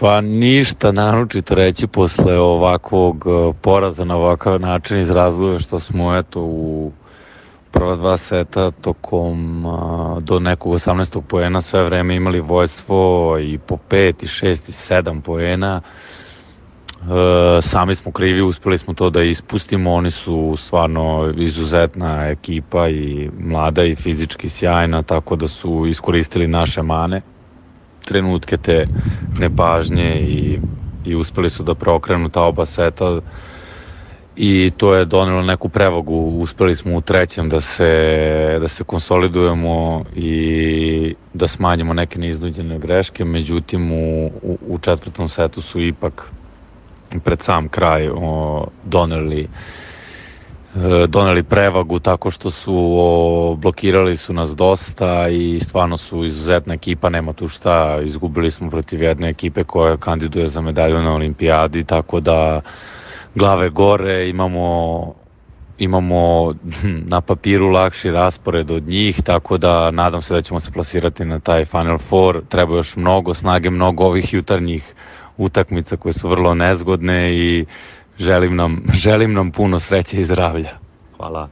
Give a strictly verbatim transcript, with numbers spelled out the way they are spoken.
Pa ništa naročito reći posle ovakvog uh, poraza na ovakav način iz razloga što smo eto u prva dva seta tokom uh, do nekog osamnaestog poena sve vreme imali vojstvo i po pet i šest i sedam poena. Uh, sami smo krivi, uspeli smo to da ispustimo, oni su stvarno izuzetna ekipa i mlada i fizički sjajna, tako da su iskoristili naše mane, trenutke te nepažnje i, i uspeli su da preokrenu ta oba seta i to je donelo neku prevagu. Uspeli smo u trećem da se, da se konsolidujemo i da smanjimo neke neiznuđene greške, međutim u, u, u četvrtom setu su ipak pred sam kraj o, doneli doneli prevagu tako što su o, blokirali su nas dosta i stvarno su izuzetna ekipa, nema tu šta, izgubili smo protiv jedne ekipe koja kandiduje za medalju na olimpijadi, tako da glave gore, imamo imamo na papiru lakši raspored od njih, tako da nadam se da ćemo se plasirati na taj Final Four. Treba još mnogo snage, mnogo ovih jutarnjih utakmica koje su vrlo nezgodne i želim nam, želim nam puno sreće i zdravlja. Hvala.